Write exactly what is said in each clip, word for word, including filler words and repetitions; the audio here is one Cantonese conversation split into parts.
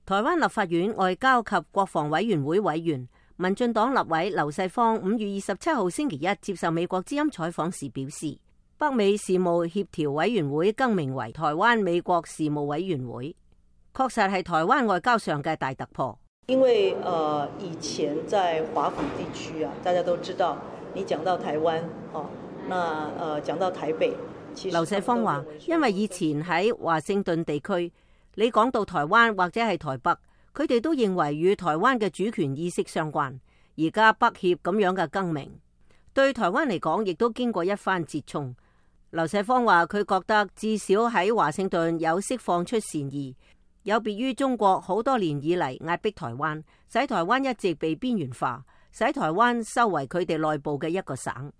台灣立法院外交及國防委員會委員、民進黨立委劉世芳五月二十七號星期一接受美國之音採訪時表示，北美事務協調委員會更名為台灣美國事務委員會，確實係台灣外交上嘅大突破。因為呃以前在華府地區啊，大家都知道，你講到台灣，哦，那呃講到台北，其實劉世芳話，因為以前喺華盛頓地區，你講到台灣或者係台北，佢哋都認為與台灣嘅主權意識相關。而家北協咁樣嘅更名，對台灣嚟講，亦都經過一番折衝。劉世芳話，佢覺得至少喺華盛頓有釋放出善意。有別於中國好多年以嚟壓迫台灣，使台灣一直被邊緣化，使台灣收為佢哋內部嘅一個省。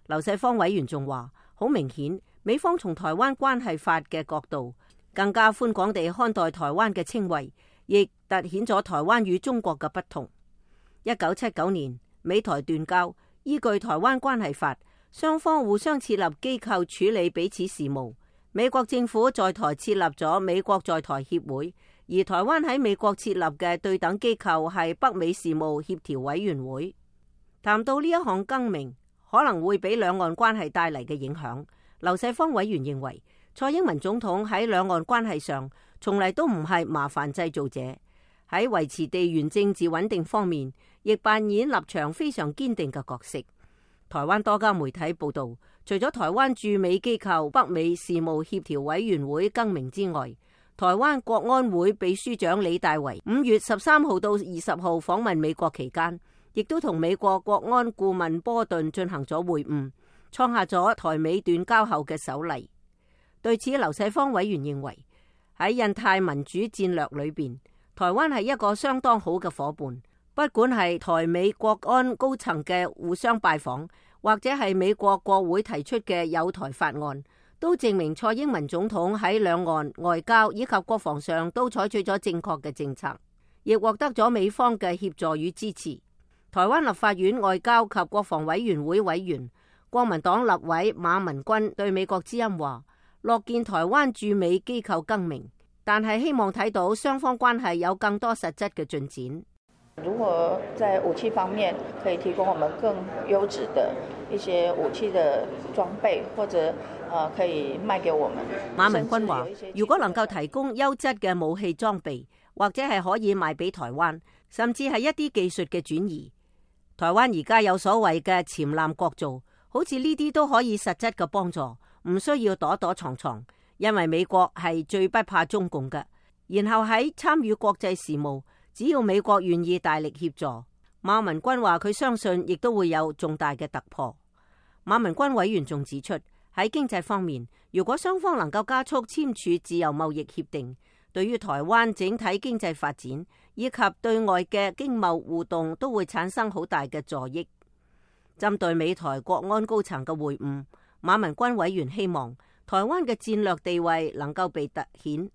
劉世芳委員仲話，好明顯，美方從台灣關係法嘅角度，更加寬廣地看待台灣嘅稱謂，亦凸顯咗台灣與中國嘅不同。一九七九年美台斷交，依據台灣關係法，雙方互相設立機構處理彼此事務。美國政府在台設立咗美國在台協會，而台灣喺美國設立嘅對等機構係北美事務協調委員會。談到呢一項更名可能會俾兩岸關係帶嚟嘅影響，劉世芳委員認為，蔡英文總統喺兩岸關係上從嚟都唔係麻煩製造者，喺維持地緣政治穩定方面亦扮演立場非常堅定嘅角色。台灣多家媒體報道，除咗台灣駐美機構北美事務協調委員會更名之外，台灣國安會秘書長李大維五月十三號到二十號訪問美國期間，亦都同美國國安顧問波頓進行咗會晤，創下咗台美斷交後嘅首例。對此，劉世芳委員認為，喺印太民主戰略裏邊，台灣係一個相當好嘅夥伴。不管係台美國安高層嘅互相拜訪，或者係美國國會提出嘅友台法案，都證明蔡英文總統喺兩岸外交以及國防上都採取咗正確嘅政策，亦獲得咗美方嘅協助與支持。台灣立法院外交及國防委員會委員、國民黨立委馬文君對美國之音話，樂見台灣駐美機構更名，但係希望睇到雙方關係有更多實質嘅進展。如何在武器方面可以提供我們更優質的一些武器的裝備，或者呃可以賣給我們？馬文君話，如果能夠提供優質嘅武器裝備，或者係可以賣俾台灣，甚至係一啲技術嘅轉移。台灣而家有所謂嘅潛艦國造，好似呢啲都可以實質嘅幫助，唔需要躲躲藏藏，因為美國係最不怕中共嘅。然後喺參與國際事務，只要美國願意大力協助，馬文君話佢相信亦都會有重大嘅突破。馬文君委員仲指出，喺經濟方面，如果雙方能夠加速簽署自由貿易協定，對於台灣整體經濟發展以及對外嘅經貿互動都會產生好大嘅助益。針對美台國安高層嘅會晤，馬文君委員希望台灣嘅戰略地位能夠被凸顯，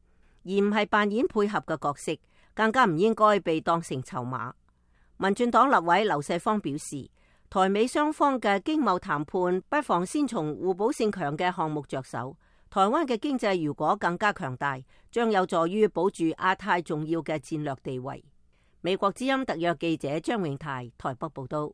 而唔係扮演配合嘅角色，更加唔應該被當成籌碼。民進黨立委劉世芳表示，台美雙方嘅經貿談判不妨先從互補性強嘅項目着手。台灣嘅經濟如果更加強大，將有助於保住亞太重要嘅戰略地位。美國之音特約記者張永泰台北報道。